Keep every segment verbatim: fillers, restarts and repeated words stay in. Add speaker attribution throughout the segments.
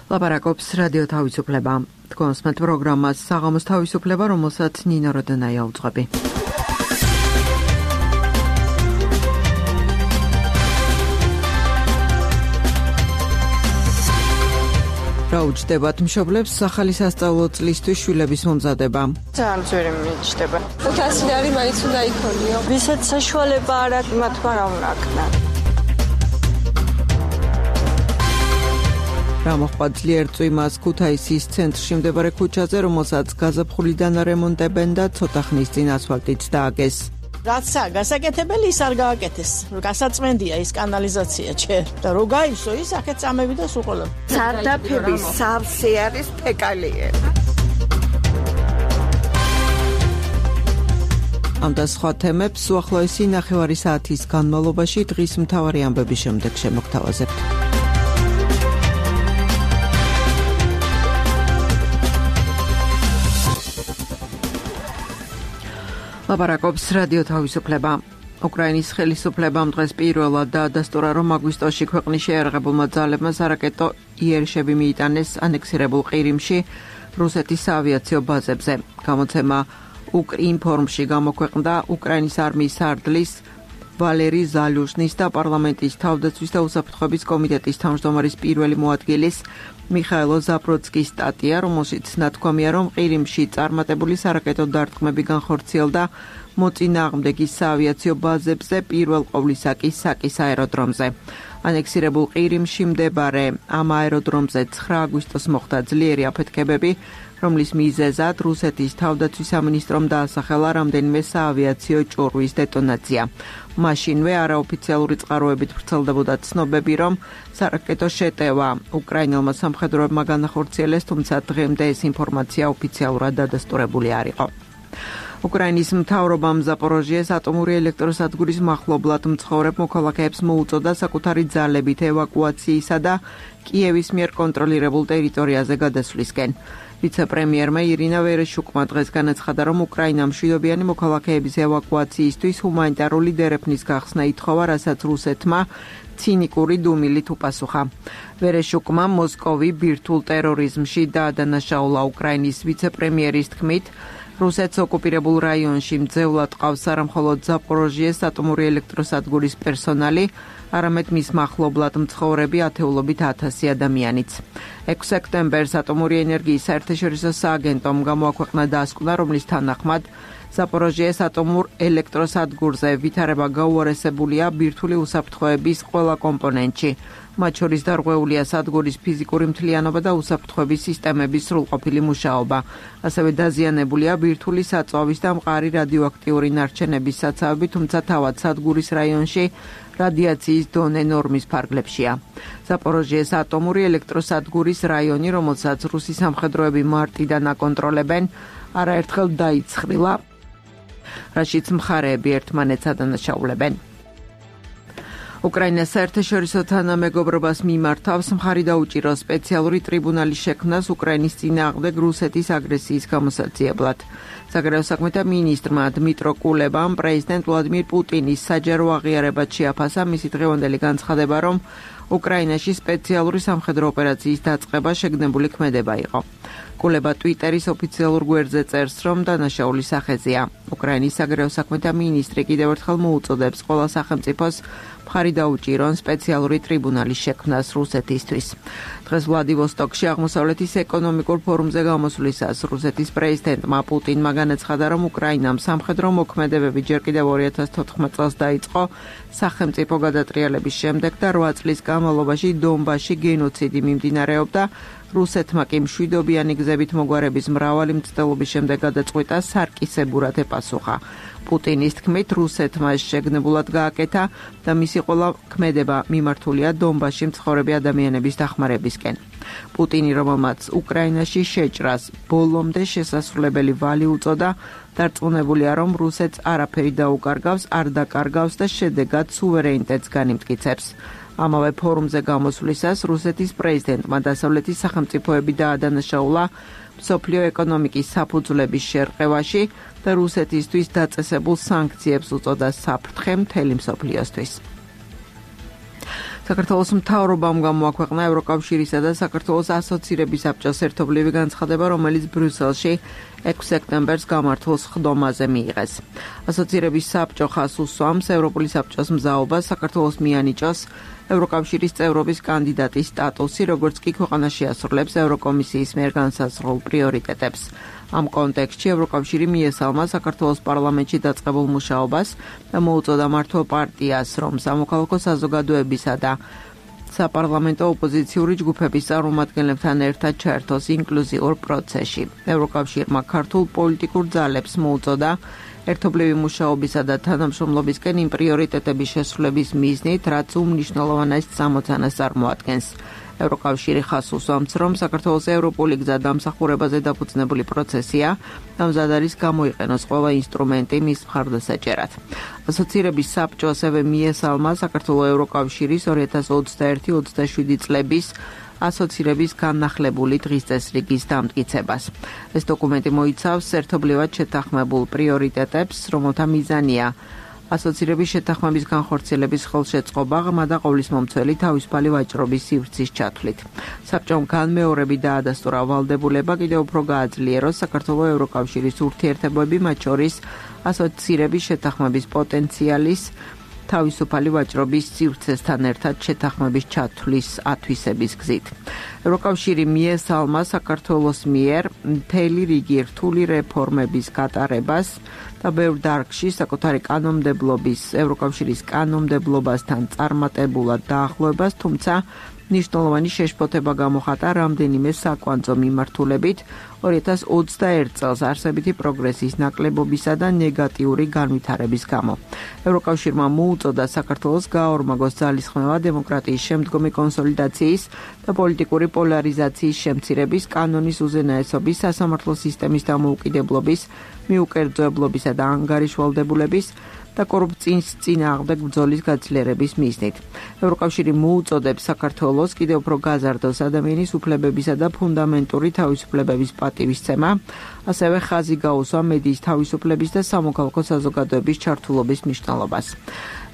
Speaker 1: ლაპარაკობს რადიო თავისუფლება. თქვენს მეტ პროგრამას საღამოს თავისუფლება, რომელსაც ნინო როდონაია უძღვები. რა უჯდებათ მშობლებს ახალი სასწავლო წლისთვის შვილების მომზადება?
Speaker 2: ძალიან ძვირი მიჩნდება.
Speaker 3: ოთხასი ლარი მაინც უნდა იქონიო.
Speaker 2: ვისაც საშუალება არ აქვს, მათმა რა უნდა აქნან.
Speaker 1: რა მოხდა ძლიერ წვიმას ქუთაისის ცენტრში მდებარე ქუჩაზე, რომელსაც გაზაფხულიდან რემონტებენ და ცოტა ხნის წინ ასფალტიც დააგეს.
Speaker 4: რაცა გასაკეთებელი ის არ გააკეთეს. გასაწმენდია ის კანალიზაცია ჩერ და რო გაივსო ის აქეთ წამები და სუყოლა.
Speaker 2: სარდაფების სავსე არის ფეკალიები.
Speaker 1: ამ და სხვა თემებს უახლოესი ნახევარი საათის განმავლობაში დღის მთავარი ამბების შემდეგ შემოგთავაზებთ. ლაპარაკობს რადიო თავისუფლება. უკრაინის ხელისუფლებამ დღეს პირველად დაადასტურა, რომ აგვისტოში ქვეყნის შეიარაღებულმა ძალებმა სარაკეტო იერშები მიიტანეს ანექსირებულ ყირიმში რუსეთის საავიაციო ბაზებზე. გამოცემა უკრინფორმში გამოქვეყნდა უკრაინის არმიის სარდლის ვალერი ზალუჟნის და პარლამენტის თავდაცვის და უსაფრთხოების კომიტეტის თავმჯდომარის პირველი მოადგილის მიხაილო ზაბროდსკის სტატია, რომელშიც ნათქვამია, რომ ყირიმში წარმატებული სარაკეტო დარტყმები განხორციელდა მოწინააღმდეგის საავიაციო ბაზებზე, პირველ ყოვლისა კი საკის აეროდრომზე. ანექსირებულ ყირიმში მდებარე ამ აეროდრომზე ცხრა აგვისტოს მოხდა ძლიერი აფეთქებები, რომლის მიზეზად რუსეთის თავდაცვის სამინისტრომ დაასახელა რამდენიმე საავიაციო ჭურვის დეტონაცია. მაშინვე არაოფიციალური წყაროებით ვრცელდებოდა ცნობები, რომ სარაკეტო შეტევა უკრაინელმა სამხედროებმა განახორციელეს, თუმცა დღემდე ეს ინფორმაცია ოფიციალურად დადასტურებული არ იყო. უკრაინის მთავრობამ ზაპოროჟიეს ატომური ელექტროსადგურის მახლობლად მცხოვრებ მოქალაქეებს მოუწოდა საკუთარი ძალებით ევაკუაციისა და კიევის მიერ კონტროლირებულ ტერიტორიაზე გადასვლისკენ. ვიცე-პრემიერმა ირინა ვერეშუკმა დღეს განაცხადა, რომ უკრაინამ მშვიდობიანი მოქალაქეების ევაკუაციისთვის ჰუმანიტარული დერეფნის გახსნა ითხოვა, რასაც რუსეთმა ცინიკური დუმილით უპასუხა. ვერეშუკმა მოსკოვი ბირთვულ ტერორიზმში დაადანაშაულა. უკრაინის ვიცე-პრემიერის თქმით, რუსეთს ოკუპირებულ რაიონში მძევლად ყავს არა მხოლოდ ზაპოროჟიეს ატომური ელექტროსადგურის პერსონალი, არამედ მის მახლობლად მცხოვრები ათეულობით ათასი ადამიანიც. ექვსი სექტემბერს ატომური ენერგიის საერთაშორისო სააგენტომ გამოაქვეყნა დასკვნა, რომლის თანახმად ზაპოროჟიეს ატომურ ელექტროსადგურზე ვითარება გაუარესებულია ბირთვული უსაფრთხოების ყველა კომპონენტში. მათ შორის დარღვეულია სადგურის ფიზიკური მთლიანობა და უსაფრთხოების სისტემების სრულყოფილი მუშაობა. ასევე დაზიანებულია ბირთვული საწვავის და მყარი რადიოაქტიური ნარჩენების საცავები, თუმცა თავად სადგურის რაიონში რადიაციის დონე ნორმის ფარგლებშია. ზაპოროჟიეს ატომური ელექტროსადგურის რაიონი, რომელსაც რუსი სამხედროები მარტიდან აკონტროლებენ, არაერთხელ დაიცხრილა, რაშიც მხარეები ერთმანეთს ადანაშაულებენ. უკრაინას საერთაშორისო თანამეგობრობას მიმართავს მხარი დაუჭირო სპეციალური ტრიბუნალის შექმნას უკრაინის წინააღმდეგ რუსეთის აგრესიის გამოსაცდელად. საგარეო საქმეთა მინისტრმა დმიტრო კულებამ პრეზიდენტ ვლადიმირ პუტინის საჯარო აღიარებად შეაფასა მისი დღევანდელი განცხადება, რომ უკრაინაში სპეციალური სამხედრო ოპერაციის დაწყება შეგნებული ქმედება იყო. კულება ტვიტერის ოფიციალურ გვერდზე წერს, რომ დანაშაული სახეზეა. უკრაინის საგარეო საქმეთა მინისტრი კიდევ ერთხელ მოუწოდებს ყველა სახელმწიფოს მხარი დაუჭირონ სპეციალური ტრიბუნალის შექმნას რუსეთისთვის. დღეს ვლადივოსტოკში აღმოსავლეთის ეკონომიკურ ფორუმზე გამოსვლისას რუსეთის პრეზიდენტმა პუტინმა განაცხადა, რომ უკრაინამ სამხედრო მოქმედებები ჯერ კიდევ ორი ათას თოთხმეტ წელს დაიწყო სახელმწიფო გადატრიალების შემდეგ და რვა წლის განმავლობაში დონბასში გენოციდი მიმდინარეობდა. რუსეთმა კი მშვიდობიანი გზებით მოგვარების მრავალი მცდელობის შემდეგ გადაწყვიტა სარკისებურად ეპასუხა. პუტინის თქმით, რუსეთმა შეგნებულად გააკეთა და მისი ყველა ქმედება მიმართულია დონბასში მცხოვრები ადამიანების დახმარებისკენ. პუტინი, რომელმაც უკრაინაში შეჭრას ბოლომდე შესასრულებელი ვალი უწოდა, დარწმუნებულია, რომ რუსეთს არაფერი დაუკარგავს, არ დაკარგავს და შედეგად სუვერენიტეტს განიმტკიცებს. ამავე ფორუმზე გამოსვლისას რუსეთის პრეზიდენტმა დასავლეთის სახელმწიფოები დაადანაშაულა მსოფლიო ეკონომიკის საფუძვლების შერყევაში და რუსეთისთვის დაწესებულ სანქციებს უწოდა საფრთხე მთელი მსოფლიოსთვის. საქართველოს მთავრობამ გამოაქვეყნა ევროკავშირისა და საქართველოს ასოცირების საბჭოს ერთობლივი განცხადება, რომელიც ბრიუსელში ექვსი სექტემბერს გამართულ სხდომაზე მიიღეს. ასოცირების საბჭო ხაზს უსვამს ევროპული საბჭოს მზაობას საქართველოს მიანიჭოს ევროკავშირის წევრობის კანდიდატის სტატუსი, როგორც კი ქვეყანა შეასრულებს ევროკომისიის მიერ განსაზღვრულ პრიორიტეტებს. ამ კონტექსტში ევროკავშირი მიესალმა საქართველოს პარლამენტში დაწყებულ მუშაობას და მოუწოდა მართლ პარტიას, რომ სამოქალაქო საზოგადოებისა და საპარლამენტო ოპოზიციური ჯგუფების წარმომადგენლებთან ერთად ჩაერთოს ინკლუზიურ პროცესში. ევროკავშირმა ქართულ პოლიტიკურ ძალებს მოუწოდა ერთობლივი მუშაობისა და თანამშრომლობისკენ იმ პრიორიტეტების შესრულების მიზნით, რაც უმნიშვნელოვანეს წამოწანას წარმოადგენს. ევროკავშირი ხაზს უსვამს, რომ საქართველოს ევროპული გზა დამსახურებაზე დაფუძნებული პროცესია და მზად არის გამოიყენოს ყველა ინსტრუმენტი მის მხარდასაჭერად. ასოცირების საბჭო ასევე მიესალმა საქართველოს ევროკავშირის ორი ათას ოცდაერთი ოცდაშვიდი წლების ასოცირების განახლებული დღის წესრიგის დამტკიცებას. ეს დოკუმენტი მოიცავს ერთობლივად შეთანხმებულ პრიორიტეტებს, რომელთა მიზანია ასოცირების შეთანხმების განხორციელების ხელშეწყობა, ღრმა და ყოვლისმომცველი თავისუფალი ვაჭრობის სივრცის ჩათვლით. საბჭომ განმეორებით დაადასტურა ვალდებულება კიდევ უფრო გააძლიეროს საქართველოს ევროკავშირის ურთიერთობები, მათ შორის ასოცირების შეთანხმების პოტენციალის თავისუფალი ვაჭრობის სივრცესთან ერთად შეთანხმების ჩათვლის ათვისების გზით. ევროკავშირი მიესალმა საქართველოს მიერ მთელი რიგი რთული რეფორმების გატარებას და ბევრ დარგში საკუთარი კანონმდებლობის ევროკავშირის კანონმდებლობასთან წარმატებულად დაახლოებას, თუმცა მნიშვნელოვანი შეშფოთება გამოხატა რამდენიმე საკვანძო მიმართულებით ორი ათას ოცდაერთ წელს არსებითი პროგრესის ნაკლებობისა და ნეგატიური განვითარების გამო. ევროკავშირმა მოუწოდა საქართველოს გააორმაგოს ძალისხმევა დემოკრატიის შემდგომი კონსოლიდაციის და პოლიტიკური პოლარიზაციის შემცირების, კანონის უზენაესობის, სასამართლო სისტემის დამოუკიდებლობის, მიუკერძოებლობისა და ანგარიშვალდებულების და კორუფციის წინააღმდეგ ბრძოლის გაძლიერების მიზნით. ევროკავშირი მოუწოდებს საქართველოს კიდევ უფრო გაზარდოს ადამიანის უფლებებისა და ფუნდამენტური თავისუფლებების პატივისცემა, ასევე ხაზი გაუსვა მედიის თავისუფლების და სამოქალაქო საზოგადოების ჩართულობის მნიშვნელობას.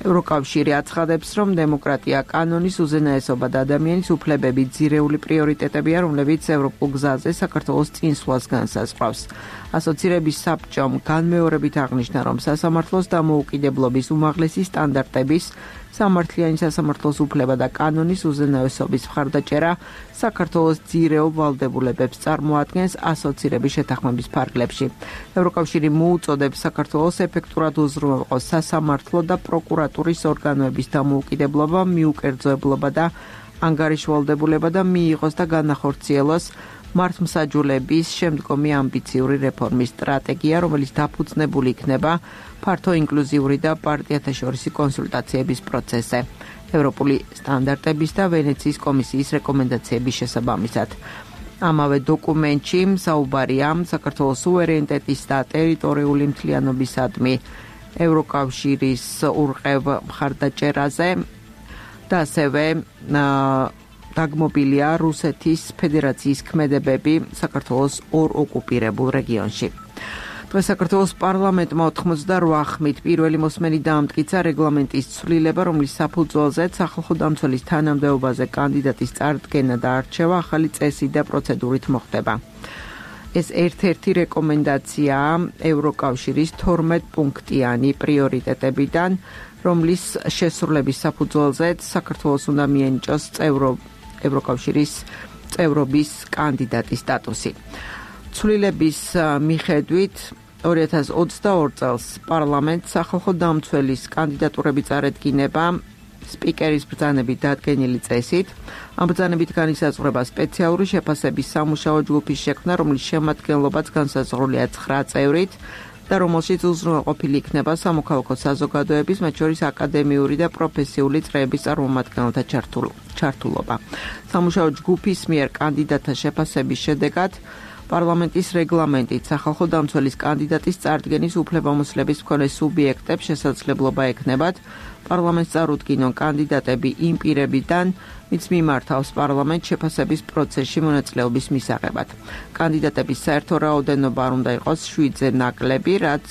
Speaker 1: ევროკავშირი აცხადებს, რომ დემოკრატია, კანონის უზენაესობა და ადამიანის უფლებები ძირეული პრიორიტეტებია, რომლებიც ევროპულ გზაზე საქართველოს წინსვლას განსაზღვრავს. ასოცირების საბჭომ განმეორებით აღნიშნა, რომ სასამართლოს დამოუკიდებლობის უმაღლესი სტანდარტების, სამართლიანი სასამართლოს უფლება და კანონის უზენაესობის მხარდაჭერა საქართველოს ძირეულ ვალდებულებებს წარმოადგენს ასოცირების შეთანხმების ფარგლებში. ევროკავშირი მოუწოდებს საქართველოს ეფექტურად უზრუნველყოს სასამართლო და პროკურატურის ორგანოების დამოუკიდებლობა, მიუკერძოებლობა და ანგარიშვალდებულება და მიიღოს და განახორციელოს მართლმსაჯულების შემდგომი ამბიციური რეფორმის სტრატეგია, რომელიც დაფუძნებული იქნება ფართო ინკლუზიური და პარტიათაშორისი კონსულტაციების პროცესზე, ევროპული სტანდარტების და ვენეციის კომისიის რეკომენდაციების შესაბამისად. ამავე დოკუმენტში საუბარია საქართველოს სუვერენიტეტის და ტერიტორიული მთლიანობისადმი ევროკავშირის ურყევ მხარდაჭერაზე და ასევე დაგმობილია რუსეთის ფედერაციის ქმედებები საქართველოს ორ ოკუპირებულ რეგიონში. დღეს საქართველოს პარლამენტმა ოთხმოცდაოთხ ხმით პირველი მოსმენი დაამტკიცა რეგლამენტის ცვლილება, რომლის საფუძველზეც სახალხო დამცველის თანამდებობაზე კანდიდატის წარდგენა და არჩევა ახალი წესი და პროცედურით მოხდება. ეს ერთ-ერთი რეკომენდაციაა ევროკავშირის თორმეტ პუნქტიანი პრიორიტეტებიდან, რომლის შესრულების საფუძველზეც საქართველოს უნდა მიენიჭოს წევრო ევროკავშირის წევრობის კანდიდატის სტატუსი. ცვლილების მიხედვით ორი ათას ოცდაორ წელს პარლამენტს სახალხო დამცველის კანდიდატურები წარედგინება სპიკერის ბრძანებით დადგენილი წესით. ამ ბრძანებით განისაზღვრება სპეციალური შეფასების სამუშაო ჯგუფის შექმნა, რომლის შემადგენლობაც განსაზღვრულია ცხრა წევრით და რომელშიც უზრუნველყოფილი იქნება სამოქალაქო საზოგადოების, მათ შორის აკადემიური და პროფესიული წრეების წარმომადგენელთა ჩართულობა. სამუშაო ჯგუფის მიერ კანდიდატთა შეფასების შედეგად პარლამენტის რეგლამენტით სახალხო დამცველის კანდიდატის წარდგენის უფლებამოსილების მქონე სუბიექტებს შესაძლებლობა ექნებათ პარლამენტს წარუდგინონ კანდიდატები იმ პირებიდან, ვინც მიმართავს პარლამენტს შეფასების პროცესში მონაწილეობის მისაღებად. კანდიდატების საერთო რაოდენობა არ უნდა იყოს შვიდზე ნაკლები, რაც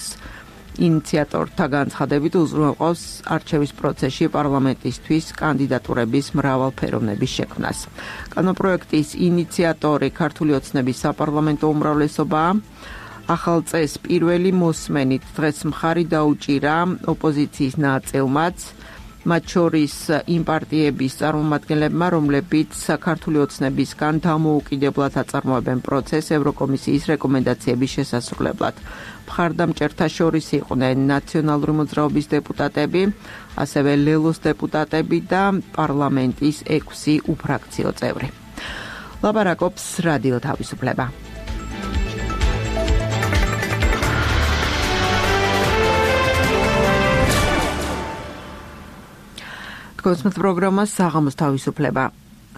Speaker 1: ინიციატორთა განცხადებით უზრუნველყოფს არჩევის პროცესში პარლამენტისთვის კანდიდატურების მრავალფეროვნების შექმნას. კანონპროექტის ინიციატორი ქართული ოცნების საპარლამენტო უმრავლესობაა. ახალ წესს პირველი მოსმენით დღეს მხარი დაუჭირა ოპოზიციის ნაწილმაც, მათ შორის იმ პარტიების წარმომადგენლებმა, რომლებიც საქართველოს ოცნებისგან დამოუკიდებლად აწარმოებენ პროცესს ევროკომისიის რეკომენდაციების შესასრულებლად. მხარდამჭერთა შორის იყვნენ ნაციონალური მოძრაობის დეპუტატები, ასევე ლელოს დეპუტატები და პარლამენტის ექვსი უფრაქციო წევრი. ლაპარაკობს რადიო თავისუფლება. კონსმეთ პროგრამა საღამოს თავისუფლება.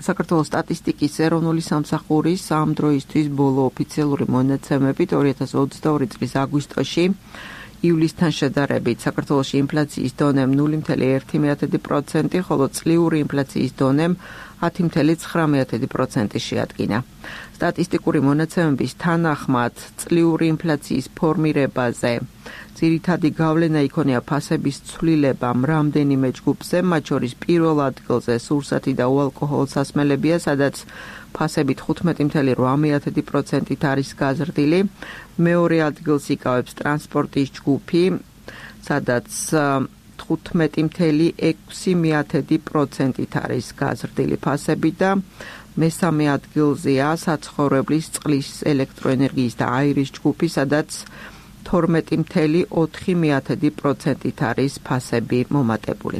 Speaker 1: საქართველოს სტატისტიკის ეროვნული სამსახურის ამ დროისთვის ბოლო ოფიციალური მონაცემებით ორი ათას ოცდაორი წლის აგვისტოში ივლისთან შედარებით საქართველოში ინფლაციის დონემ ნული ფاصლე ერთი პროცენტი, ხოლო წლიური ინფლაციის დონემ ათი ფاصლე ცხრა პროცენტი შეადგინა. სტატისტიკური მონაცემების თანახმად წლიური ინფლაციის ფორმირებაზე ძირითადი გავლენა იქონია ფასების ცვლილებამ რამდენიმე ჯგუფზე, მათ შორის პირველ ადგილზე სურსათი და უალკოჰოლო სასმელებია, სადაც ფასებით ხუთმეტი ფاصლე რვა პროცენტით არის გაზრდილი. მეორე ადგილს იკავებს ტრანსპორტის ჯგუფი, სადაც თხუთმეტი ფاصლე ექვსი პროცენტით არის გაზრდილი ფასები და მესამე ადგილზეა საცხოვრებლის წყლის, ელექტროენერგიის და აირის ჯგუფი, სადაც თორმეტი ფاصლე ოთხი პროცენტით არის ფასები მომატებული.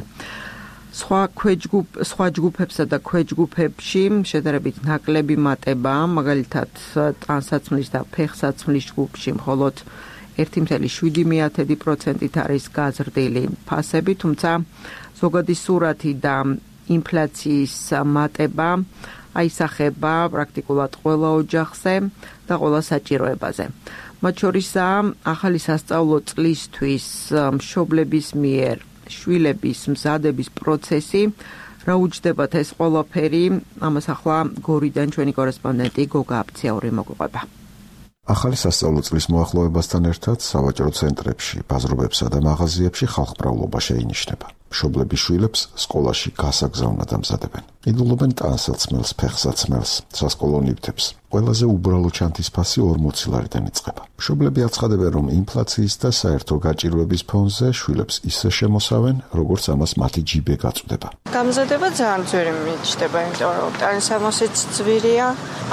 Speaker 1: სხვა ქვეჯგუფ, სხვა ჯგუფებსა და ქვეჯგუფებში შედარებით ნაკლები მატებაა, მაგალითად ტანსაცმლის და ფეხსაცმლის ჯგუფში მხოლოდ ერთი ფاصლე შვიდი პროცენტით არის გაზრდილი ფასები, თუმცა ზოგადი სურათი და ინფლაციის მატება აისახება პრაქტიკულად ყველა ოჯახზე და ყველა საჭიროებაზე. მათ შორისაა ახალი სასწავლო წლისთვის მშობლების მიერ შვილების მზადების პროცესი, რა უჯდებათ ეს ყველაფერი, ამას ახლა გორიდან ჩვენი კორესპონდენტი გოგა აფციაური მოგვიყვება.
Speaker 5: ახალი სასწავლო წლის მოახლოებასთან ერთად სავაჭრო ცენტრებში, ბაზრობებსა და მაღაზიებში ხალხმრავლობა შეინიშნება. მშობლები შვილებს სკოლაში გასაგზავნად ამზადებენ. იდულობენ ტანსაცმელს, ფეხსაცმელს, სასკოლო ნივთებს. ყველაზე უბრალო ჩანთის ფასი ორმოცი ლარიდან იწყება. მშობლები აცხადებენ, რომ ინფლაციის და საერთო გაჭირვების ფონზე შვილებს ისე შემოსავენ, როგორც ამას მათი ჯიბე გაწვდება.
Speaker 2: გამზადება ძალიან ძვირი მიჩნდება, იმიტომ რომ ტანსამოსიც ძვირია,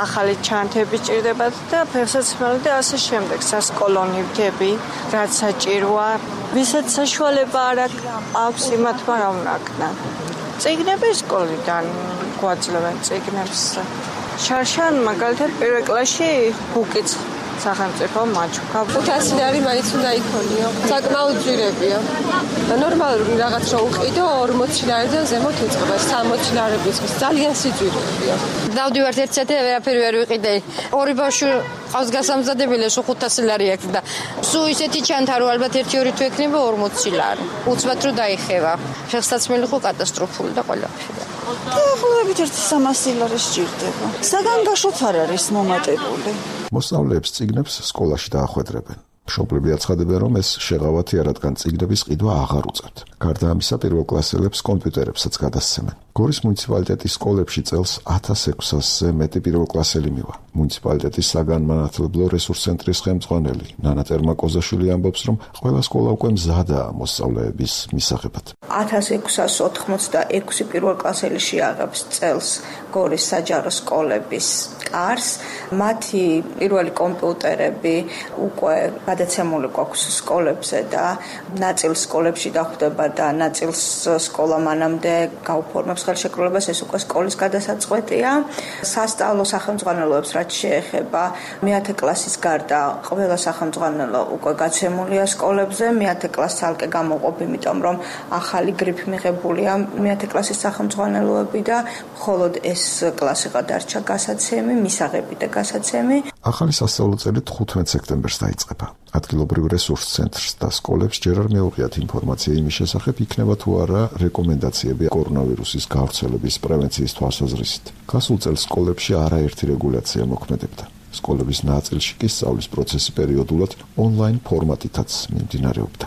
Speaker 2: ახალი ჩანთები ჭირდებათ და ფეხსაცმელი და ასე შემდეგ, სასკოლო ნივთები, რაც საჭიროა. ვისაც საშუალება არ აქვს იმათმა რა უნაკნან. წიგნები სკოლიდან გვაძლევენ წიგნებს. შარშან მაგალითად პირველ კლასში ბუკიც სახელმწიფო მაჩუქა.
Speaker 3: ხუთასი ლარი მაინც უნდა იქონიო. საკმაოდ ძვირებია. ნორმალური რაღაც რო უყიდო ორმოცი ლარიდან ზემოთ იწყება. სამოცი ლარების ძალიან სიძვირეა.
Speaker 6: დავდივართ ერთ საათი ვერაფერი ვერ ვიყიდე. ორი ბავშვი ყავს გასამზადებელი, სულ ხუთასი ლარი აქვს და სულ ისეთი ჩანთა რომ ალბათ ერთი ორი თუ ექნება ორმოცი ლარი. უცბად რო დაიხევა. ფეხსაცმელი ხო კატასტროფული და ყველაფერი.
Speaker 4: დაახლოებით ერთი სამასი ლარი სჭირდება. საგანგაშოც არ არის მომატებული.
Speaker 5: მოსწავლეებს წიგნებს სკოლაში დაახვედრებენ. მშობლები აცხადებენ, რომ ეს შეღავათია, რადგან წიგნების ყიდვა აღარ უწევთ. გარდა ამისა, პირველკლასელებს კომპიუტერებსაც გადასცემენ. გორის მუნიციპალიტეტის სკოლებში წელს ათას ექვსასზე მეტი პირველკლასელი მივა. მუნიციპალიტეტის საგანმანათლებლო რესურს ცენტრის ხელმძღვანელი ნანა ტერმაკოზაშვილი ამბობს, რომ ყველა სკოლა უკვე მზადაა მოსწავლეების მისაღებად.
Speaker 7: ათას ექვსას ოთხმოცდაექვსი პირველკლასელი შეაღებს წელს გორის საჯარო სკოლების კარს. მათი პირველი კომპიუტერები უკვე გადაცემული გვაქვს სკოლებზე და ნაწილ სკოლებში დახვდება და ნაწილს სკოლა მანამდე გაუფორმებს ხელშეკრულებას, ეს უკვე სკოლის გადასაწყვეტია. სასწავლო სახელმძღვანელოებს რაც შეეხება მეათე კლასის გარდა ყველა სახელმძღვანელო უკვე გაცემულია სკოლებზე. მეათე კლასს ცალკე გამოყოფ, იმიტომ რომ ახალი გრიფი მიღებულია მეათე კლასის სახელმძღვანელოები და მხოლოდ ეს კლასი გადარჩა გასაცემი, მისაღები და გასაცემი.
Speaker 5: ახალი სასწავლო წელი თხუთმეტ სექტემბერს დაიწყება. ადგილობრივ რესურს ცენტრს და სკოლებს ჯერ არ მეუღიათ ინფორმაცია იმის შესახებ, იქნება თუ არა რეკომენდაციები კორონავირუსის გავრცელების პრევენციის თვალსაზრისით. გასულ წელს სკოლებში არაერთი რეგულაცია მოქმედებდა. სკოლების ნაწილში კი სწავლის პროცესი პერიოდულად ონლაინ ფორმატითაც მიმდინარეობდა.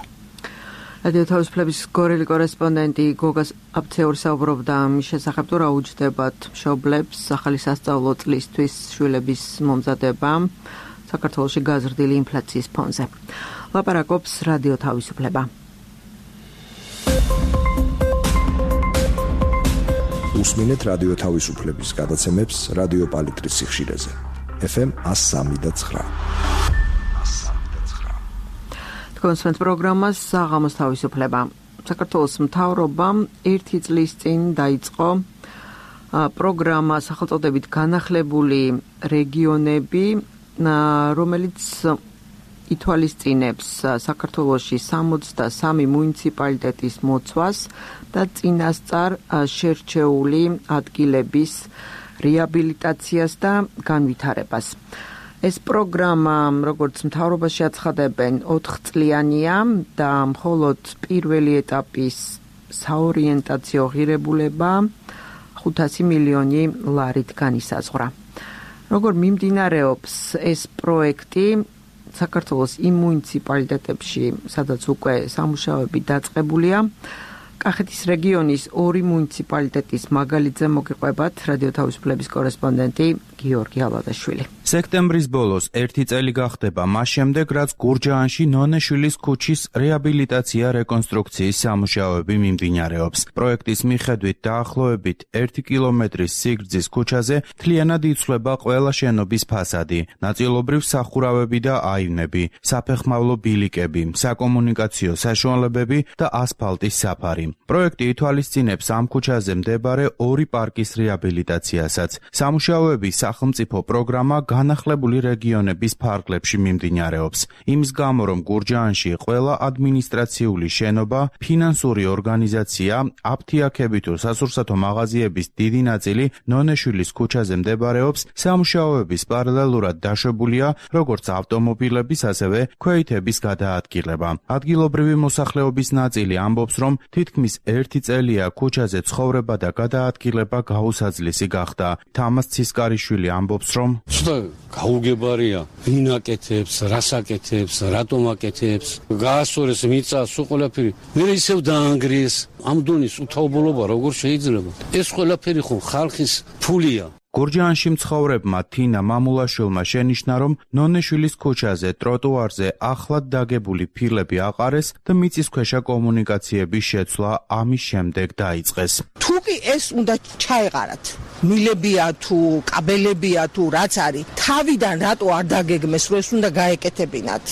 Speaker 1: რადიო თავისუფლების გორელი კორესპონდენტი გოგა აფცეური საუბრობდა მის შესახებ, თუ რა უჯდებათ მშობლებს ახალი სასწავლო წლისთვის შვილების მომზადება საქართველოში გაზრდილი ინფლაციის ფონზე. ლაპარაკობს რადიო თავისუფლება.
Speaker 8: უსმინეთ რადიო თავისუფლების გადაცემებს რადიო პალიტრის სიხშირეზე. ეფ ემ one oh three point nine.
Speaker 1: კონსვენს პროგრამას საღამოს თავისუფლება. საქართველოს მთავრობამ ერთი წლის წინ დაიწყო პროგრამა სახელწოდებით განახლებული რეგიონები, რომელიც ითვალისწინებს საქართველოში სამოცდასამი მუნიციპალიტეტის მოცვას და წინასწარ შერჩეული ადგილების რეაბილიტაციას და განვითარებას. ეს პროგრამა, როგორც მთავრობაში აცხადებენ, ოთხწლიანია და მხოლოდ პირველი ეტაპის საორიენტაციო ღირებულება ხუთასი მილიონი ლარით განისაზღვრა. როგორ მიმდინარეობს ეს პროექტი საქართველოს იმ მუნიციპალიტეტებში, სადაც უკვე სამუშაოები დაწყებულია, კახეთის რეგიონის ორი მუნიციპალიტეტის მაგალითზე მოგიყვებათ რადიო თავისუფლების კორესპონდენტი გიორგი ალადაშვილი.
Speaker 9: სექტემბრის ბოლოს ერთი წელი გახდება მას შემდეგ, რაც გურჯაანში ნონეშვილის ქუჩის რეაბილიტაცია რეკონსტრუქციის სამუშაოები მიმდინარეობს. პროექტის მიხედვით დაახლოებით ერთი კილომეტრის სიგრძის ქუჩაზე მთლიანად იცვლება ყველა შენობის ფასადი, ნაწილობრივ სახურავები და აივნები, საფეხმავლო ბილიკები, საკომუნიკაციო საშუალებები და ასფალტის საფარი. პროექტი ითვალისწინებს ამ ქუჩაზე მდებარე ორი პარკის რეაბილიტაციასაც. სამუშაოები სახელმწიფო პროგრამა განახლებული რეგიონების ფარგლებში მიმდინარეობს. იმის გამო, რომ გურჯაანში ყველა ადმინისტრაციული შენობა, ფინანსური ორგანიზაცია, აფთიაქები თუ სასურსათო მაღაზიების დიდი ნაწილი ნონეშვილის ქუჩაზე მდებარეობს, სამუშაოების პარალელურად დაშვებულია როგორც ავტომობილების, ასევე ქვეითების გადაადგილება. ადგილობრივი მოსახლეობის ნაწილი ამბობს, რომ თითქმის ერთი წელია ქუჩაზე ცხოვრება და გადაადგილება გაუსაძლისი გახდა. თამას ცისკარიშვილი ამბობს, რომ
Speaker 10: გაუგებარია, ვინ აკეთებს, რას აკეთებს, რატომ აკეთებს, გაასწორეს მიწა, სულ ყველაფერი. მე ისევ დაანგრიეს. ამ დონის უთაობულობა როგორ შეიძლება? ეს ყველაფერი ხო ხალხის ფულია.
Speaker 9: გურჯაანში მცხოვრებმა თინა მამულაშვილმა შენიშნა, რომ ნონეშვილის ქუჩაზე ტროტუარზე ახლად დაგებული ფილები აყარეს და მიწისქვეშა კომუნიკაციების შეცვლა ამის შემდეგ დაიწყეს.
Speaker 11: თუ კი ეს უნდა ჩაეყარათ, მილებია თუ კაბელებია თუ რაც არის, თავიდან რატო არ დაგეგმეს, რომ ეს უნდა გაეკეთებინათ?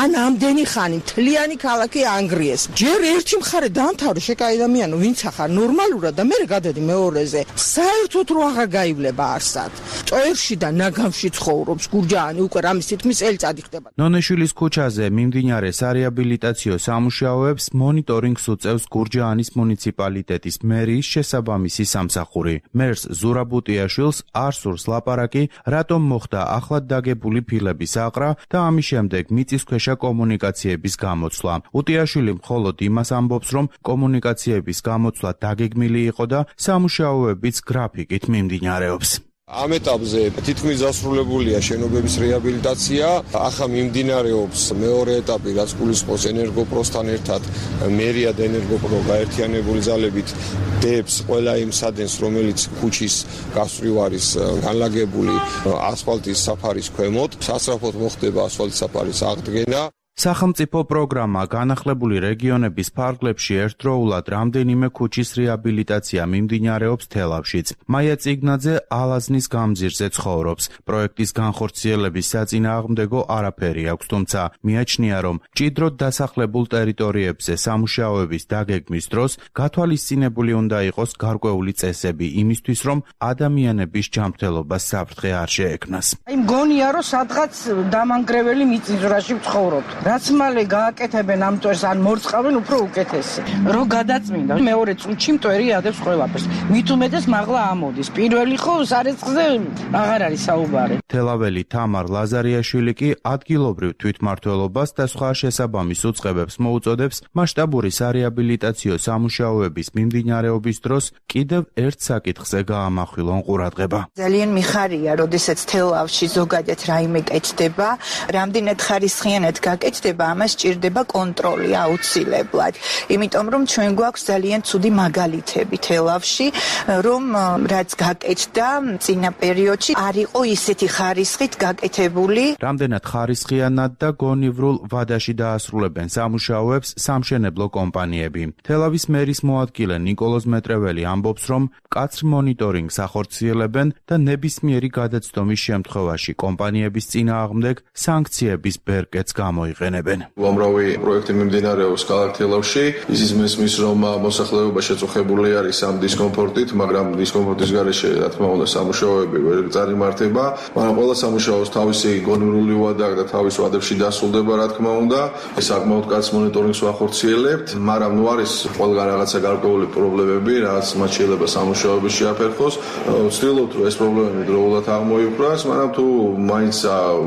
Speaker 11: ან ამდენი ხანი მთლიანი ქალაქი ანგრიეს. ჯერ ერთი მხარე დაამთავრე შეკაიდამიანო, ვინც ახარ ნორმალურად და მე გადადი მეორეზე. საერთოდ რო აღარ გაივლება არსად. ჭოერში და ნაგამში ცხოვრობს გურჯაანი უკვე რამის თითქმის წელიწადი ხდება.
Speaker 9: ნონეშვილის ქუჩაზე მიმდინარე სარეაბილიტაციო სამუშაოებს მონიტორინგს უწევს გურჯაანის მუნიციპალიტეტის მერიის შესაბამისი სამსახური. მერს ზურაბუტიაშვილს არ სურს ლაპარაკი, რატომ მოხდა ახლად დაგებული ფილების აყრა და ამის შემდეგ მიწისქვეშა კომუნიკაციების გამოცვლა. უტიაშვილი მხოლოდ იმას ამბობს, რომ კომუნიკაციების გამოცვლა დაგეგმილი იყო და სამუშაოებიც გრაფიკით მიმდინარეობს.
Speaker 12: ამ ეტაპზე თითქმის დასრულებულია შენობების რეაბილიტაცია. ახლა მიმდინარეობს მეორე ეტაპი, რაც გულისხმობს ენერგოპროსთან ერთად მერია და ენერგოპრო გაერთიანებული ძალებით დებს ყველა იმ სადენს, რომელიც ქუჩის გასწვრივ არის განლაგებული ასფალტის საფარის ქვემოთ. სასწრაფოდ მოხდება ასფალტის საფარის აღდგენა.
Speaker 9: სახელმწიფო პროგრამა განახლებული რეგიონების ფარგლებში ერთდროულად რამდენიმე ქუჩის რეაბილიტაცია მიმდინარეობს თელავშიც. მაია წიგნაძე ალაზნის გამზირზე ცხოვრობს. პროექტის განხორციელების საწინააღმდეგო არაფერი აქვს, თუმცა მიაჩნია, რომ მჭიდროდ დასახლებულ ტერიტორიებზე სამუშაოების დაგეგმის დროს გათვალისწინებული უნდა იყოს გარკვეული წესები იმისთვის, რომ ადამიანების ჯანმრთელობას საფრთხე არ შეექმნას.
Speaker 11: აი მგონია, რომ სადღაც დამანგრეველი მიწისძვრაში ვცხოვრობთ. რაც მალე გააკეთებენ ამ მტვერს ან მორწყავენ, უფრო უკეთესი. რო გადაწმინდა მეორე წუთში მტვერი ადებს ყველაფერს. მით უმეტეს მაღლა ამოდის. პირველი ხო სარეცხზე აღარ არის საუბარი.
Speaker 9: თელაველი თამარ ლაზარიაშვილი კი ადგილობრივ თვითმმართველობას და სხვა შესაბამის უწყებებს მოუწოდებს მასშტაბური სარეაბილიტაციო სამუშაოების მიმდინარეობის დროს კიდევ ერთ საკითხზე გაამახვილონ ყურადღება.
Speaker 13: ძალიან მიხარია, როდესაც თელავში ზოგადად რაიმე კეთდება, რამდენად ხარისხიანად გაკეთდება, ამას სჭირდება კონტროლი აუცილებლად. იმიტომ რომ ჩვენ გვაქვს ძალიან ცუდი მაგალითები თელავში, რომ რაც გაკეთდა წინა პერიოდში არ იყო ისეთი ხარისხით გაკეთებული.
Speaker 9: რამდენად ხარისხიანად და გონივრულ ვადაში დაასრულებენ სამუშაოებს სამშენებლო კომპანიები. თელავის მერის მოადგილე ნიკოლოზ მეტრეველი ამბობს, რომ მკაცრ მონიტორინგს ახორციელებენ და ნებისმიერი გადაცდომის შემთხვევაში კომპანიების წინააღმდეგ სანქციების ბერკეტს გამოიყენებენ.
Speaker 14: უამრავი პროექტი მიმდინარეობს ქალაქ თელავში. ისიც მესმის, რომ მოსახლეობა შეწუხებული არის ამ დისკომფორტით, მაგრამ დისკომფორტის გარეშე, რა თქმა უნდა, სამუშაოები ვერ წარიმართება, მაგრამ ყველა სამუშაოს თავისი გონივრული ვადა და თავის ვადებში დასრულდება, რა თქმა უნდა. ეს საკმაოდ კაც მონიტორინგს ვახორციელებთ, მაგრამ ნუ არის ყველგან რაღაცა გარკვეული პრობლემები, რაც მათ შეიძლება სამუშაოების შეაფერხოს. ვცდილობთ, რომ ეს პრობლემები დროულად აღმოიფრას, მაგრამ თუ მაინც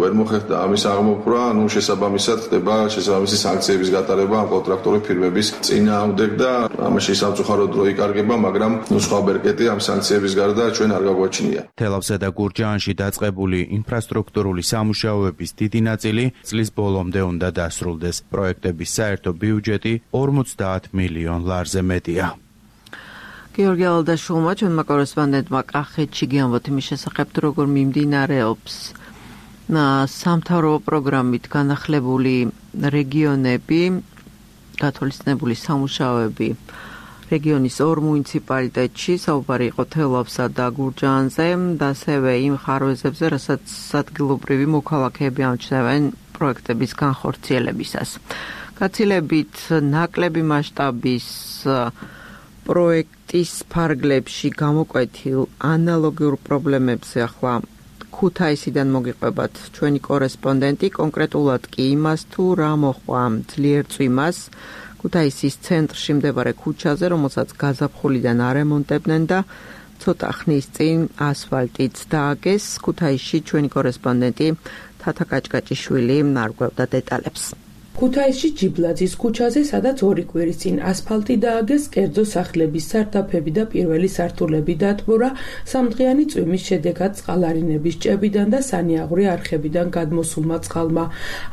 Speaker 14: ვერ მოხერხდა ამის აღმოფრვა, ნუ შესაბამისად ხდება შესაბამისი სანქციების გატარება ამ კონტრაქტორი ფირმების წინააღმდეგ და ამაში სამწუხაროდ დრო იკარგება, მაგრამ ნუ სხვა ბერკეტი ამ სანქციების გარდა ჩვენ არ გაგვაჩნია.
Speaker 9: თელავსა და გურჯაანში დაწყებული ინფრასტრუქტურული სამუშაოების დიდი ნაწილი წლის ბოლომდე უნდა დასრულდეს. პროექტების საერთო ბიუჯეტი ორმოცდაათ მილიონ ლარზე მეტია.
Speaker 1: გიორგი ალდაშულმა ჩვენმა კორესპონდენტმა კახეთში გიამბოთ იმის შესახებ, როგორ მიმდინარეობს სამთავრობო პროგრამით განახლებული რეგიონები, გათვალისწინებული სამუშაოები რეგიონის ორ მუნიციპალიტეტში, საუბარი იყო თელავსა და გურჯაანზე და ასევე იმ ხარვეზებზე, რასაც ადგილობრივი მოქალაქეები ამჩნევენ პროექტების განხორციელებისას. გაცილებით ნაკლები მასშტაბის პროექტის ფარგლებში გამოკვეთილ ანალოგიურ პრობლემებზე ახლა ქუთაისიდან მოგიყვებათ ჩვენი კორესპონდენტი, კონკრეტულად კი იმას, თუ რა მოხდა ძლიერ წვიმას ქუთაისის ცენტრში მდებარე ქუჩაზე, რომელსაც გაზაფხულიდან არემონტებდნენ და ცოტა ხნის წინ ასფალტიც დააგეს. ქუთაისში ჩვენი კორესპონდენტი თათა კაჭკაჭიშვილი არგვევდა დეტალებს.
Speaker 15: ქუთაისში ჯიბლაძის ქუჩაზე, სადაც ორი კვირის წინ ასფალტი დააგეს, კერძო სახლების სარდაფები და პირველი სართულები დატბორა სამდღიანი წვიმის შედეგად წყალარინების ჭებიდან და სანიაღვრე არხებიდან გადმოსულმა წყალმა.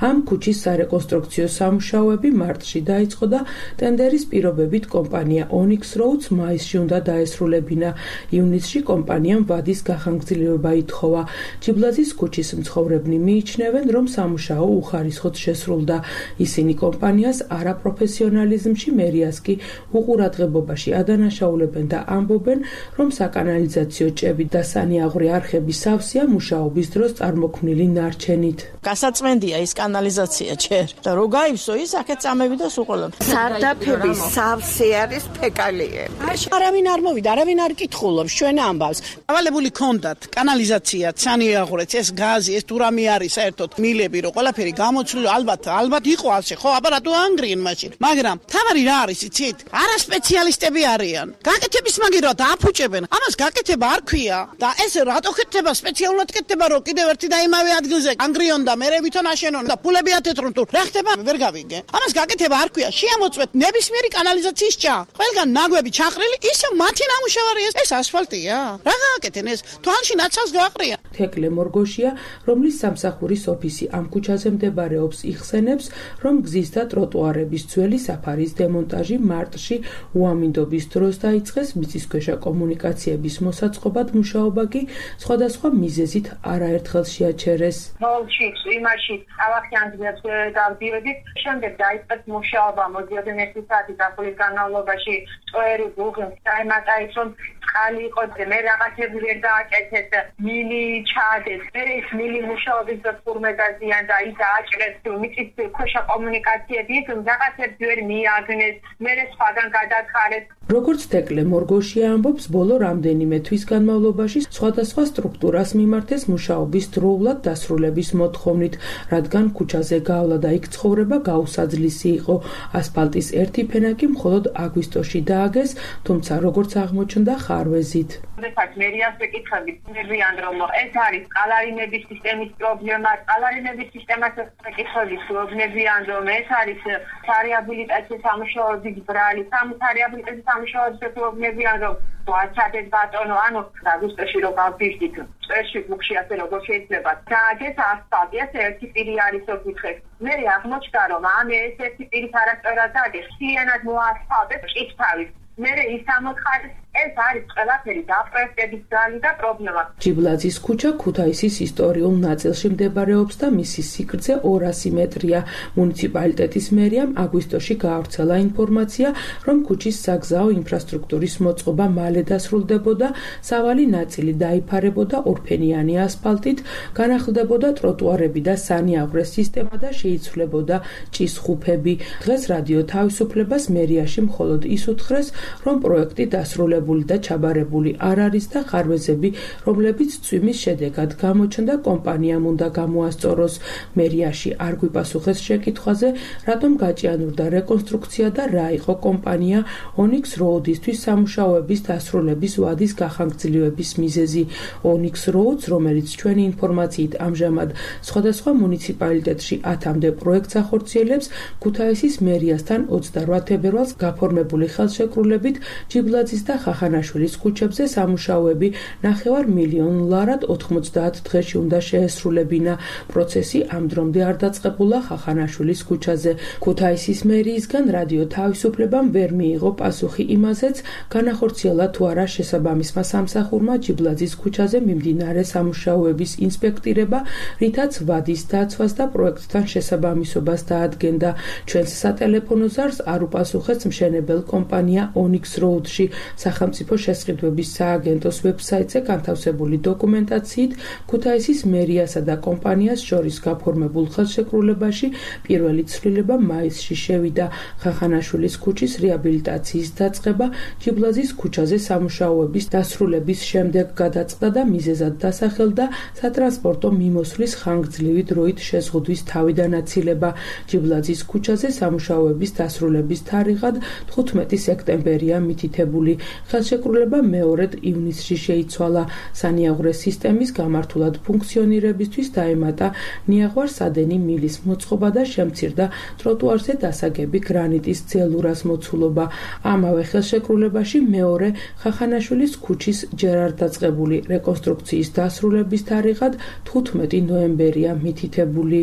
Speaker 15: ამ ქუჩის სარეკონსტრუქციო სამუშაოები მარტში დაიწყო და ტენდერის პირობებით კომპანია ონიქს როუდს მაისში უნდა დაესრულებინა. ივნისში კომპანიამ ვადის გახანგრძლივება ითხოვა. ჯიბლაძის ქუჩის მცხოვრებნი მიიჩნევენ, რომ სამუშაო უხარისხოდ შესრულდა. ისინი კომპანიას არაპროფესიონალიზმში, მერიას კი უყურადღებობაში ადანაშაულებენ და ამბობენ, რომ საკანალიზაციო ჭები და სანიაღვრე არხების სავსეა მუშაობის დროს წარმოქმნილი ნარჩენით.
Speaker 4: გასაწმენდია ის კანალიზაცია ჯერ და რო გაივსო ის აქეთ წამები და სუყოლო.
Speaker 11: სარდაფების სავსე არის ფეკალიები.
Speaker 4: არავინ არ მოვიდა, არავინ არ კითხულობს ჩვენ ამბავს.
Speaker 16: ავალებული ქონდათ კანალიზაცია, სანიაღვრე, ეს გაზი, ეს თურამი არის საერთოდ მილები, რო ყველაფერი გამოცვლილი, ალბათ, ალბათ იყო ასე, ხო, აბა რატო ანგრიენ მაშინ? მაგრამ თავარი რა არის, იცით? არა სპეციალისტები არიან. გაკეთების მაგივრად აფუჭებენ. ამას გაკეთება არ ქვია და ეს რატო ხეთება სპეციალურად კეთდება, რომ კიდევ ერთი და იმავე ადგილზე ანგრიონ და მერე ვითომ აშენონ და ფულები ათეთრონ თუ რა ხდება ვერ გავიგე. ამას გაკეთება არ ქვია. შეამოწმეთ ნებისმიერი კანალიზაციის ჭა. ყველგან ნაგვები ჩაყრილი, ისე მათი ნამუშევარი ეს, ეს ასფალტია. რა გააკეთენ ეს? თვალში ნაცავს გააყრია.
Speaker 15: თეკლე მორგოშია, რომლის სამსახურის ოფისი ამ ქუჩაზე მდებარეობს, იხსენებს, რომ გზის და ტროტუარების ძველი საფარის დემონტაჟი მარტში უამინდობის დროს დაიწყეს, მიწისქვეშა კომუნიკაციების მოსაწყობად მუშაობა კი სხვადასხვა მიზეზით არაერთხელ შეაჩერეს.
Speaker 17: ნოლში, იმაში ავახიანებს დავდიოდით, შემდეგ დაიწყეს მუშაობა მოდიოდნენ ერთი საათი დაფულის განმავლობაში წვერი ბუღი დაემატაის, რომ წყალი იყო, მე რაღაცები ვერ დააკეთეს, მილი ჩადეს, მე ის მილი მუშაობის და ფორმედაზიან და ის დააჭრეს მიწის ქვეშა კომუნიკაციები, რაღაცებს ვერ მიაგნეს, მე სხვაგან გადათხარეს.
Speaker 15: როგორც თეკლე მორგოშია ამბობს, ბოლო რამდენიმე თვის განმავლობაში სხვადასხვა სტრუქტურას მიმართეს მუშაობის დროულად დასრულების მოთხოვნით, რადგან ქუჩაზე გავლა და იქ ცხოვრება გაუსაძლისი იყო. ასფალტის ერთი ფენა კი მხოლოდ აგვისტოში დააგეს, თუმცა როგორც აღმოჩნდა ხარვეზით.
Speaker 17: როდესაც მერიას ვეკითხებით, ნებიან რომ ეს არის ყალარინების სისტემის პრობლემა, ყალარინების სისტემას ვეკითხებით, ნებიან რომ ეს არის სარეაბილიტაციო სამუშაოების ბრალი, სამარეაბილიტაციო სამუშაოების პრობლემებიან რომ ვაცადეთ ბატონო, ანუ აგვისტოში რო გავდივდით, წესში ბუქში ასე როგორ შეიძლება დააგეს ასფალტი, ეს ერთი პირი არის ოფიქრეს. მე აღმოჩნდა რომ ამ ეს ერთი პირის არასწორად დააგეს, ხიანად მოასფალტეს კითხავით. მე ის ამოხარეს ეს არის ყველაფერი დაპროექტების ძალი და პრობლემა.
Speaker 15: ჯიბლაძის ქუჩა ქუთაისის ისტორიულ ნაწილში მდებარეობს და მისი სიგრძე ორასი მეტრია. მუნიციპალიტეტის მერიამ აგვისტოში გაავრცელა ინფორმაცია, რომ ქუჩის საგზაო ინფრასტრუქტურის მოწყობა მალე დასრულდებოდა, სავალი ნაწილი დაიფარებოდა ორფენიანი ასფალტით, განახლდებოდა ტროტუარები და სანიაღვრე სისტემა და შეიცვლებოდა ჭის-ხუფები. დღეს რადიო თავისუფლებას მერიაში მხოლოდ ის უთხრეს, რომ პროექტი დასრულებული და ჩაბარებული არ არის და ხარვეზები, რომლებიც წვიმის შედეგად გამოჩნდა, კომპანიამ უნდა გამოასწოროს. მერიაში არ გვიპასუხეს შეკითხვაზე, რატომ გაჭიანურდა რეკონსტრუქცია და რა იყო კომპანია ონიქს როუდისთვის სამუშაოების დასრულების ვადის გახანგრძლივების მიზეზი. ონიქს როუდს, რომელიც ჩვენი ინფორმაციით ამჟამად სხვადასხვა მუნიციპალიტეტში ათამდე პროექტს ახორციელებს, ქუთაისის მერიასთან ოცდარვა თებერვალს გაფორმებული ხელშეკრულებით ჯიბლაძის და ხახანაშვილის ქუჩებზე სამუშაოები ნახევარ მილიონ ლარად ოთხმოცდაათ დღეში უნდა შეესრულებინა. პროცესი ამ დრომდე არ დაწყებულა ხახანაშვილის ქუჩაზე. ქუთაისის მერიისგან რადიო თავისუფლებამ ვერ მიიღო პასუხი იმაზეც, განახორციელა თუ არა შესაბამისმა სამსახურმა ჯიბლაძის ქუჩაზე მიმდინარე სამუშაოების ინსპექტირება, რითაც ვადის დაცვას და პროექტთან შესაბამისობას დაადგენდა. ჩვენს სატელეფონო ზარს არ უპასუხეს მშენებელ კომპანია ონიქს როუდში. სახელმწიფო შესყიდვების სააგენტოს ვებსაიტზე განთავსებული დოკუმენტაციით ქუთაისის მერიასა და კომპანიას შორის გაფორმებულ ხელშეკრულებაში პირველი ცვლილება მაისში შევიდა. ხახანაშვილის ქუჩის რეაბილიტაციის დაწყება ჯიბლაძის ქუჩაზე სამუშაოების დასრულების შემდეგ გადაწყდა და მიზეზად დასახელდა სატრანსპორტო მიმოსვლის ხანგრძლივი დროით შეზღუდვის თავიდანაცილება. ჯიბლაძის ქუჩაზე სამუშაოების დასრულების თარიღად თხუთმეტი სექტემბერია მითითებული. ხელშეკრულება მეორედ ივნისში შეიცვალა. სანიაღვრე სისტემის გამართულად ფუნქციონირებისთვის დაემატა ნიაღვარ-სადენი მილის მოწყობა და შემცირდა ტროტუარზე დასაგები გრანიტის ძელურას მოცულობა. ამავე ხელშეკრულებაში მეორე ხახანაშვილის ქუჩის ჯერ არ დაწყებული რეკონსტრუქციის დასრულების თარიღად თხუთმეტი ნოემბერია მითითებული.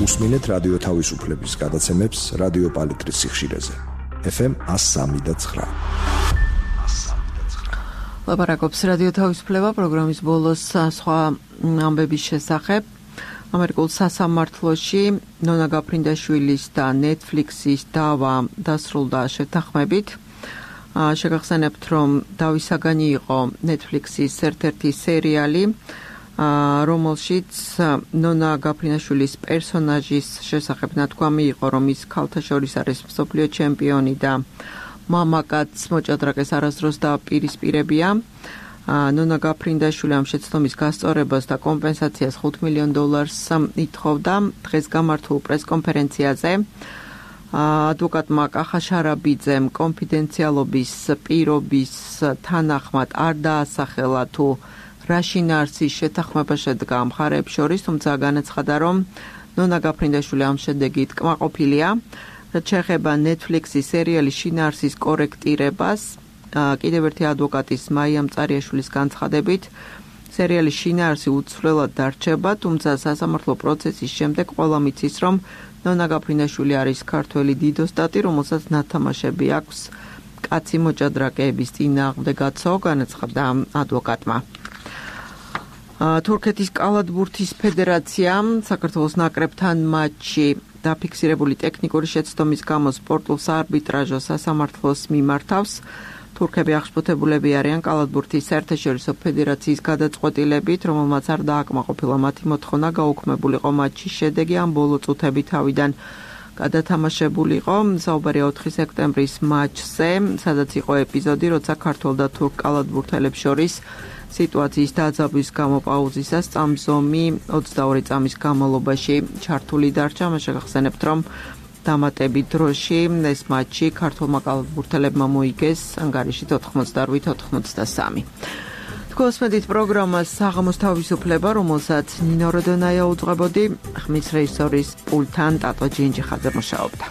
Speaker 8: უსმინეთ რადიო თავისუფლების გადაცემებს რადიო პალიტრის სიხშირეზე. ეფ ემ ას სამი და ცხრა.
Speaker 1: ლაპარაკობს რადიო თავისუფლება პროგრამის ბოლოს სხვა ამბების შესახებ. ამერიკულ სასამართლოში ნონა გაფრინდაშვილის და Netflix-ის დავა დასრულდა შეთანხმებით. შეგახსენებთ, რომ დავისაგანი იყო Netflix-ის ერთ-ერთი სერიალი, რომელშიც ნონა გაფრინდაშვილის პერსონაჟის შესახებ ნათქვამი იყო, რომ ის ქალთა შორის არის მსოფლიო ჩემპიონი და მამაკაც მოჭადრაკეს არასდროს დააპირისპირებია. ნონა გაფრინდაშვილი ამ შეცდომის გასწორებას და კომპენსაციას ხუთ მილიონ დოლარს ითხოვდა. დღეს გამართულ პრესკონფერენციაზე ადვოკატმა კახა შარაბიძემ კონფიდენციალობის პირობის თანახმად არ დაასახელა თუ რა შინაარსის შეთანხმება შედგა მხარეებს შორის, თუმცა განაცხადა, რომ ნონა გაფრინდაშვილი ამ შედეგით კმაყოფილია. რაც შეეხება Netflix-ის სერიალის შინაარსის კორექტირებას, კიდევ ერთი ადვოკატის მაია მწარიაშვილის განცხადებით, სერიალის შინაარსი უცვლელად დარჩება, თუმცა სასამართლო პროცესის შემდეგ ყველამ იცის, რომ ნონა გაფრინდაშვილი არის ქართველი დიდოსტატი, რომელსაც ნათამაშები აქვს კაცი მოჭადრაკეების წინააღმდეგაცო, განაცხადა ადვოკატმა. თურქეთის კალათბურთის ფედერაციამ საქართველოს ნაკრებთან მატჩი დაფიქსირებული ტექნიკური შეცდომის გამო სპორტულ საარბიტრაჟო სასამართლოს მიმართავს. თურქები აღშფოთებულები არიან კალათბურთის საერთაშორისო ფედერაციის გადაწყვეტილებით, რომელმაც არ დააკმაყოფილა მათი მოთხოვნა გაუქმებულიყო მატჩის შედეგი ამ ბოლო წუთები თავიდან გადათამაშებულიყო. საუბარია ოთხი სექტემბრის მატჩზე, სადაც იყო ეპიზოდი, როცა ქართველ და თურქ კალათბურთელებს შორის სიტუაციის დაძაბვის გამო პაუზისას წამსომი ოცდაორი წამის განმავლობაში ჩართული დარჩა. მას შეგახსენებთ, რომ დამატებით დროში ეს მატჩი ქართულმა კალათბურთელებმა მოიგეს ანგარიშით ოთხმოცდაოთხ ოთხმოცდასამი. Თქვენსმედით პროგრამას საღამოს თავისუფლება, რომელსაც ნინო როდონაია უძღვებოდი, ხმის რეჟისორის პულტთან ტატო ჯინჯიხაძე მუშაობდა.